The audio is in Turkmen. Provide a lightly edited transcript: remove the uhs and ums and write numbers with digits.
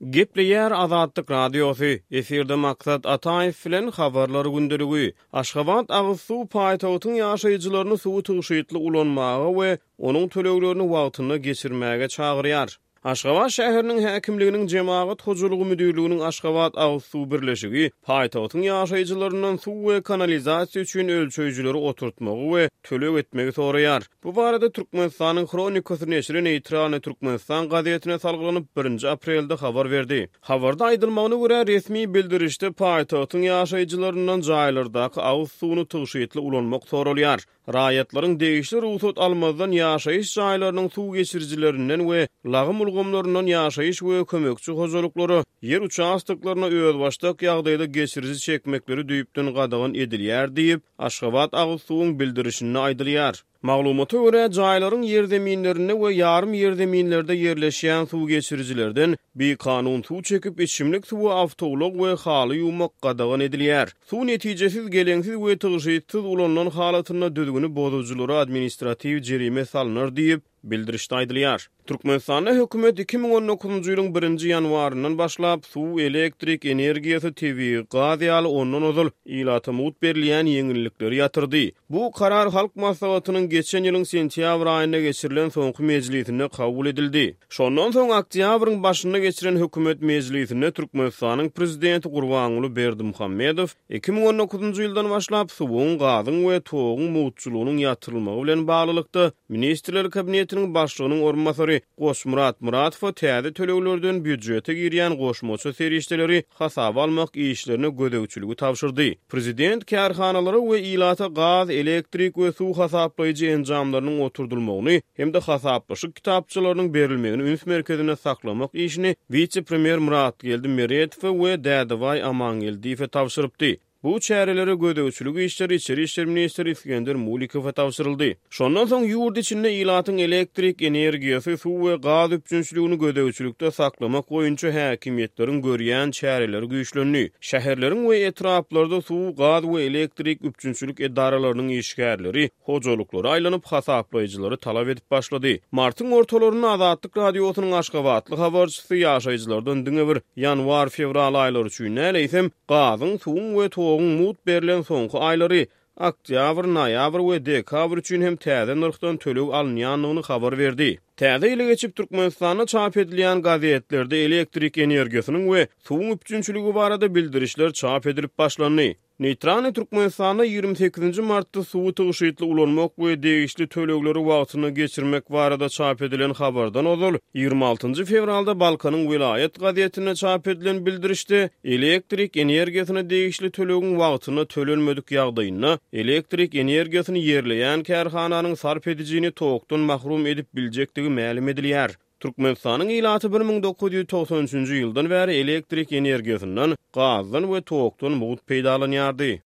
Gepleýär Azatlyk Radiosy, efirde Maksat Ataýew bilen Habarlar gündeligi. Aşgabat agyz suw paýtagtyň ýaşaýjylaryny suwy tygşytly ulanmaga we onuň töleglerini wagtynda geçirmäge çagyrýar. Aşgabat şäheriniň häkimliginiň Jemagat hojalygy müdirliginiň Aşgabat agyz suw birleşigi paýtagtyň ýaşaýjylaryndan suw we kanalizasiýa üçin ölçeýjileri oturtmagy we töleg etmegi soraýar. Bu barada Türkmenistanyň Hronikasy neşiri Neýtralnyý Türkmenistan gazetine salgylanyp, birinji aprelde habar berdi. Habarda aýdylmagyna görä, resmi bildirişde paýtagtyň ýaşaýjylaryndan jaýlardaky agyz suwuny tygşytly ulanmak soralýar. Raýatlaryň degişli rugsat almazdan ýaşaýyş jaýlarynyň suw geçirijilerinden we lagym ulgamlaryndan ýaşaýyş we kömekçi hojalyklara ýer uçastoklaryna özbaşdak ýagdaýda geçiriji çekmekleri düýpden gadagan edilýär diýip, Aşgabat agyz suwuň bildirişinde aýdylýar. Maglumata görä, jaýlaryň ýerzeminlerinde we ýarym ýerzeminlerde ýerleşýän suw geçirijilerden bikanun suw çekip, içimlik suwy awtoulag we haly ýuwmak gadagan edilýär. Suw netijesiz, geleňsiz we tygşytsyz ulanylan halatynda düzgüni bozujylara administratiw jerime salnar diýip, Bildirişde aýdylýar. Türkmenistanda hökümet 2019-njy ýylyň birinji ýanwaryndan başlap, suw, elektrik energiýasy, tebigy gaz ýaly ondan ozal ilata mugt berilýän ýeňillikleri ýatyrdy. Bu karar Halk Maslahatynyň geçen ýylyň sentýabr aýynda geçirilen soňky mejlisinde kabul edildi. Şondan soň oktýabryň başynda geçiren hökümet mejlisinde Türkmenistanyň Prezidenti Gurbanguly Berdimuhamedow 2019-njy ýyldan başlap suwuň, gazyň we toguň mugtçulygynyň ýatyrylmagy bilen baglylykda, Ministrler Kabinetiniň Başlygynyň orunbasary Goçmyrat Muratowa täze töleglerden býujete girýän goşmaça serişdeleri hasaba almak işlerine gözegçiligi tabşyrdy. Prezident kärhanalara we ilata gaz, elektrik we suw hasaplaýjy enjamlarynyň oturdylmagyny hem-de hasaplaşyk kitapçalarynyň berilmegini üns merkezinde saklamak işini wise-premýer Myratgeldi Meretowa we Dädebaý Amangeldiýewe tabşyrypdy. Bu çärelere gözegçilik işleri içeri işler ministri Isgender Mulikowa tabşyryldy. Şondan soň ýurt içinde ilatyň elektrik energiýasy, suw we gaz üpjünçiligini gözegçilikde saklamak boýunça häkimiýetleriň görýän çäreleri güýçlendi. Şäherleriň we etraplarda suw, gaz we elektrik üpjünçilik edaralarynyň işgärleri hojalyklara aýlanyp, hasaplaýjylary talap edip başlady. Martyň ortalarynda Azatlyk Radiosynyň aşgabatly habarçysy ýaşaýjylardan diňe bir ýanwar-fewral aýlary üçin däl, eýsem, gazyň, suwuň we toguň mugt berlen soňky aýlary, oktýabr, noýabr we dekabr üçin hem täze nyrhdan töleg alynýandygyny habar berdi. Täze ýyly geçip, Türkmenistanda çap edilýän gazetlerde elektrik energiýasynyň we suwuň üpjünçiligi barada bildirişler çap edilip başlandy. Neýtralnyý Türkmenistanda 28-nji martda suwy tygşytly ulanmak we degişli tölegleri wagtynda geçirmek barada çap edilen habardan ozal, 26-njy fewralda Balkanyň welaýat gazetinde çap edilen bildirişde elektrik energiýasyna degişli tölegiň wagtynda tölenmedik ýagdaýynda elektrik energiýasyny ýerleýän kärhananyň sarp edijini tokdan mahrum edip biljekdigi mälim edilýär. Türkmenistanyň ilaty 1993-nji ýyldan bäri elektrik energiýasyndan, gazdan we tokdan mugt peýdalanýardy.